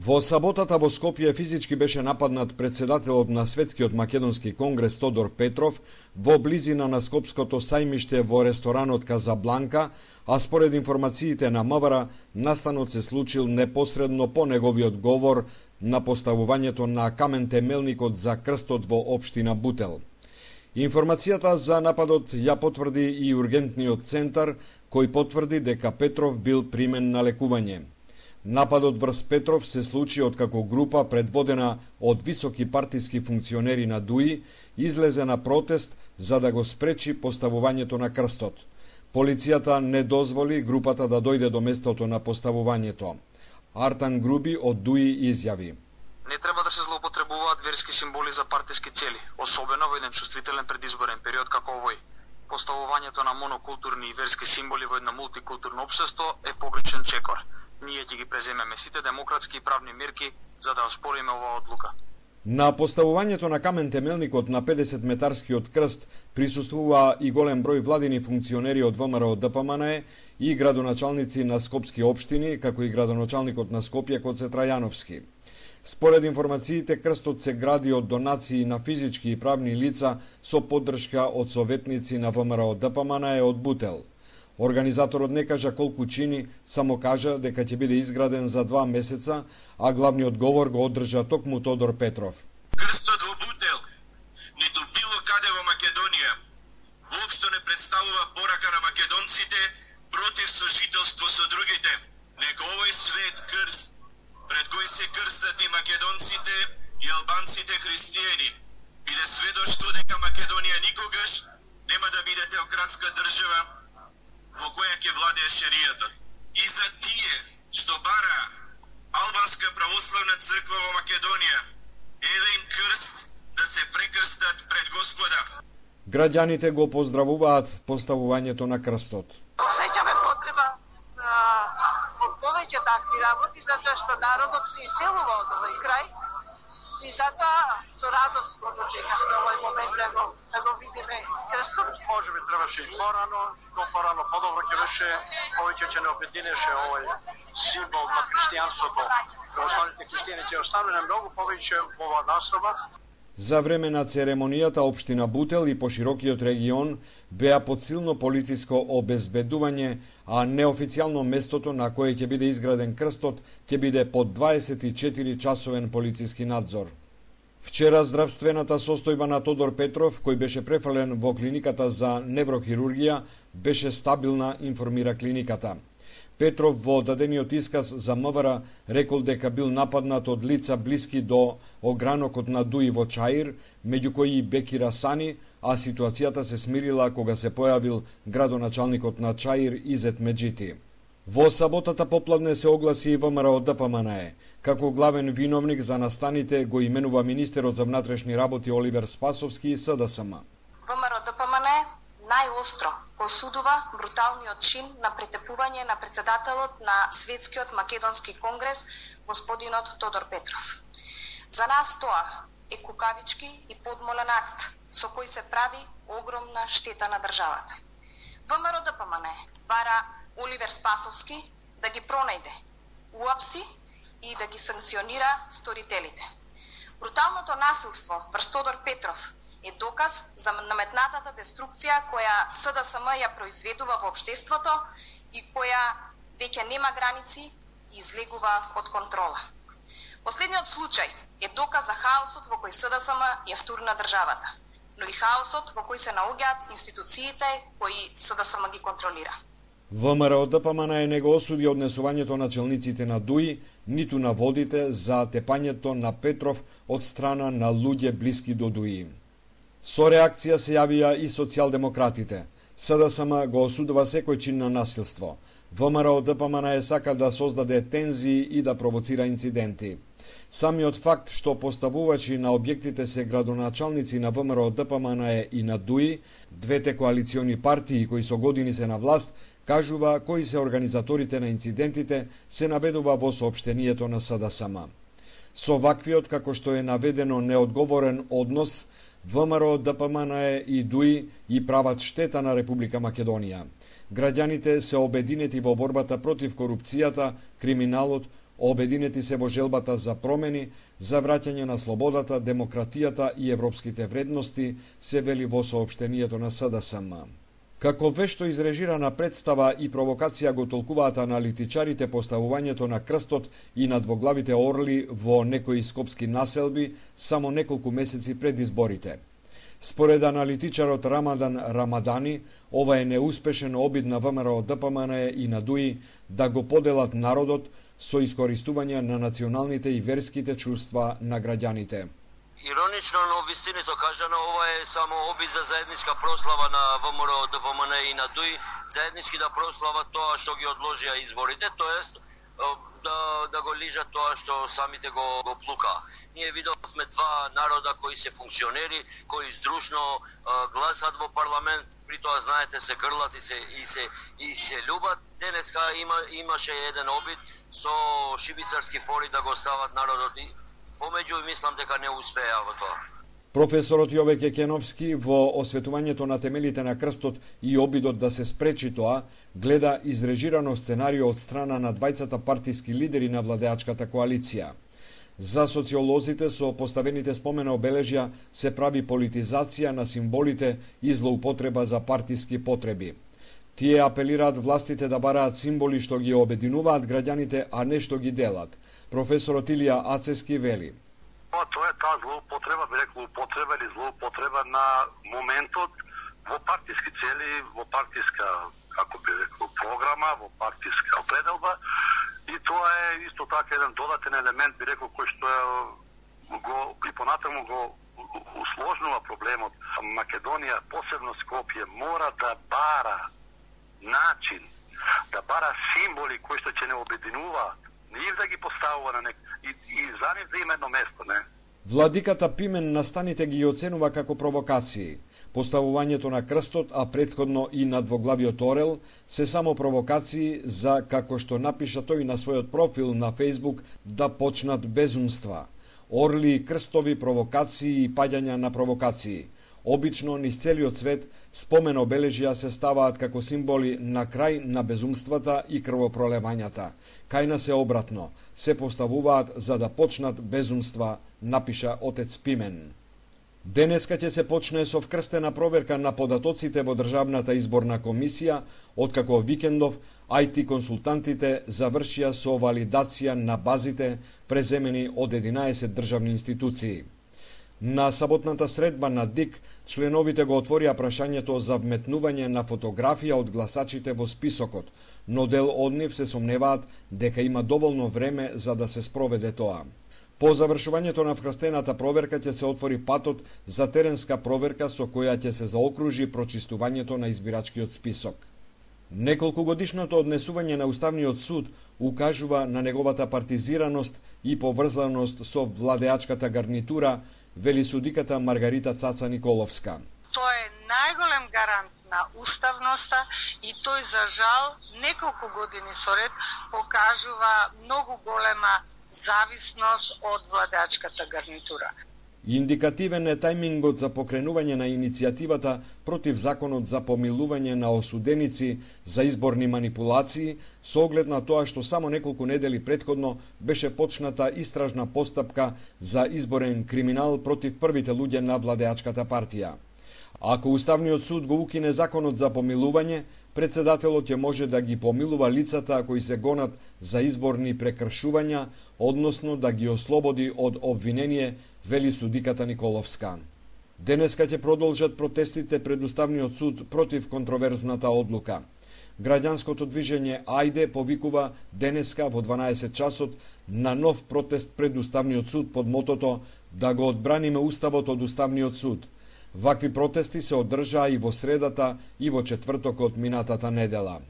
Во саботата во Скопје физички беше нападнат председателот на Светскиот македонски конгрес Тодор Петров во близина на Скопското сајмиште во ресторанот Казабланка, а според информациите на МВР, настанот се случил непосредно по неговиот говор на поставувањето на камен темелникот за крстот во општина Бутел. Информацијата за нападот ја потврди и ургентниот центар, кој потврди дека Петров бил примен на лекување. Нападот врз Петров се случи откако група предводена од високи партиски функционери на ДУИ излезе на протест за да го спречи поставувањето на крстот. Полицијата не дозволи групата да дојде до местото на поставувањето. Артан Груби од ДУИ изјави: Не треба да се злоупотребуваат верски символи за партиски цели, особено во еден чувствителен предизборен период како овој. Поставувањето на монокултурни и верски символи во едно мултикултурно општество е погрешен чекор. Ние ќе ги преземеме сите демократски и правни мерки за да оспориме оваа одлука. На поставувањето на камен темелникот на 50-метарскиот крст присуствува и голем број владини функционери од ВМРО ДПМНЕ и градоначалници на скопски општини, како и градоначалникот на Скопје Коце Трајановски. Според информациите, крстот се гради од донации на физички и правни лица со поддршка од советници на ВМРО ДПМНЕ од Бутел. Организаторот не кажа колку чини, само кажа дека ќе биде изграден за 2 месеца, а главниот говор го одржа токму Тодор Петров. Крстот во Бутел, ниту било каде во Македонија, воопшто не представува порака на македонците против сожителство со другите. Нека овој свет крст, пред кој се крстат и македонците и албанците христијани, биде сведоштво дека Македонија никогаш нема да биде теократска држава во која ќе владее шеријата. И за тие што бара албанска православна црква во Македонија, еве им крст да се прекрстат пред Господа. Граѓаните го поздравуваат поставувањето на крстот. Осеќаме потреба од повеќе такви работи, затоа што народот се иселува од овој крај. И затоа со радост го дочекавме овој момент да го видиме крстот. Може би требаше и порано, што порано подобро ќе беше, повеќе ќе не обединеше овој символ на христијанството. Православните христијани ќе останале многу повеќе во оваа наслова. За време на церемонијата општина Бутел и поширокиот регион беа под силно полициско обезбедување, а неофицијално местото на кое ќе биде изграден крстот ќе биде под 24-часовен полициски надзор. Вчера здравствената состојба на Тодор Петров, кој беше префален во клиниката за неврохирургија, беше стабилна, информира клиниката. Петров во дадениот исказ за МВР рекол дека бил нападнат од лица блиски до огранокот на ДУИ во Чаир, меѓу кои и Бекира Сани, а ситуацијата се смирила кога се појавил градоначалникот на Чаир Изет Меджити. Во саботата попладне се огласи и ВМРО ДПМНЕ. Како главен виновник за настаните го именува министерот за внатрешни работи Оливер Спасовски и СДСМ. ВМРО ДПМНЕ најостро осудува бруталниот чин на претепување на председателот на Светскиот македонски конгрес, господинот Тодор Петров. За нас тоа е кукавички и подмолен акт со кој се прави огромна штета на државата. ВМРО ДПМНЕ бара Оливер Спасовски да ги пронајде, уапси и да ги санкционира сторителите. Бруталното насилство врз Тодор Петров е доказ за наметнатата деструкција која СДСМ ја произведува во општеството и која веќе нема граници и излегува од контрола. Последниот случај е доказ за хаосот во кој СДСМ ја втурна државата, но и хаосот во кој се наоѓаат институциите кои СДСМ ги контролира. ВМРО ДПМНЕ не го осуди однесувањето на челниците на ДУИ, ниту на водите за тепањето на Петров од страна на луѓе блиски до ДУИ. Со реакција се јавија и социјалдемократите. СДСМ го осудува секој чин на насилство. ВМРО ДПМНЕ сака да создаде тензии и да провоцира инциденти. Самиот факт што поставувачи на објектите се градоначалници на ВМРО ДПМНЕ и на ДУИ, двете коалициони партии кои со години се на власт, кажува кои се организаторите на инцидентите, се наведува во соопштението на СДСМ. Со ваквиот, како што е наведено, неодговорен однос, ВМРО ДПМНЕ и ДУИ и прават штета на Република Македонија. Граѓаните се обединети во борбата против корупцијата, криминалот, обединети се во желбата за промени, за враќање на слободата, демократијата и европските вредности, се вели во соопштението на СДСМ. Како вешто изрежирана представа и провокација го толкуваат аналитичарите поставувањето на крстот и на двоглавите орли во некои скопски населби само неколку месеци пред изборите. Според аналитичарот Рамадан Рамадани, ова е неуспешен обид на ВМРО ДПМН и на ДУИ да го поделат народот со искористување на националните и верските чувства на граѓаните. Иронично, но вистинито кажано, ова е само обид за заедничка прослава на ВМРО ДПМН и на ДУИ, заеднички да прослават тоа што ги одложија изборите, тоест да го лижат тоа што самите го плука. Ние видовме два народа кои се функционери, кои здружно гласат во парламент, при тоа знаете се грлат и се љубат. Денеска имаше еден обид со шибицарски фори да го стават народот и помеѓу и мислам дека не успеа во тоа. Професорот Јовеќе Кеновски во осветувањето на темелите на крстот и обидот да се спречи тоа, гледа изрежирано сценарио од страна на двајцата партиски лидери на владеачката коалиција. За социолозите со поставените спомен обележја се прави политизација на символите и злоупотреба за партиски потреби. Тие апелираат властите да бараат символи што ги обединуваат граѓаните, а не што ги делат. Професорот Илија Ацески вели: Тоа е таа злоупотреба, би рекол употреба или злоупотреба на моментот во партиски цели, во партиска, како би рекол, програма, во партиска определба, и тоа е исто така еден додатен елемент, би рекол, кој што го и понатаму го усложнува проблемот. Македонија, посебно Скопје, мора да бара начин, да бара символи кои што ќе не обединуваат, нив да ги поставува на и за нив да има едно место, не? Владиката Пимен настаните ги оценува како провокации. Поставувањето на крстот, а претходно и на двоглавиот орел, се само провокации за, како што напиша тој на својот профил на Facebook, да почнат безумства. Орли, крстови, провокации и паѓања на провокации. Обично, низ целиот свет, спомен обележја се ставаат како символи на крај на безумствата и крвопролевањата. Кај нас е обратно, се поставуваат за да почнат безумства, напиша отец Пимен. Денеска ќе се почне со вкрстена проверка на податоците во Државната изборна комисија, откако викендов IT консултантите завршија со валидација на базите преземени од 11 државни институции. На саботната средба на ДИК, членовите го отворија прашањето за вметнување на фотографија од гласачите во списокот, но дел од нив се сомневаат дека има доволно време за да се спроведе тоа. По завршувањето на вкрстената проверка ќе се отвори патот за теренска проверка со која ќе се заокружи прочистувањето на избирачкиот список. Неколкугодишното однесување на Уставниот суд укажува на неговата партизираност и поврзаност со владеачката гарнитура, вели судиката Маргарита Цаца Николовска. Тоа е најголем гарант на уставноста и тој за жал неколку години соред покажува многу голема зависност од владеачката гарнитура. Индикативен е тајмингот за покренување на иницијативата против законот за помилување на осуденици за изборни манипулации, со оглед на тоа што само неколку недели претходно беше почната истражна постапка за изборен криминал против првите луѓе на владеачката партија. Ако Уставниот суд го укине законот за помилување, председателот ќе може да ги помилува лицата кои се гонат за изборни прекршувања, односно да ги ослободи од обвинение, вели судиката Николовска. Денеска ќе продолжат протестите пред Уставниот суд против контроверзната одлука. Граѓанското движење Ајде повикува денеска во 12 часот на нов протест пред Уставниот суд под мотото да го одбраниме Уставот од Уставниот суд. Вакви протести се одржаа и во средата и во четвртокот минатата недела.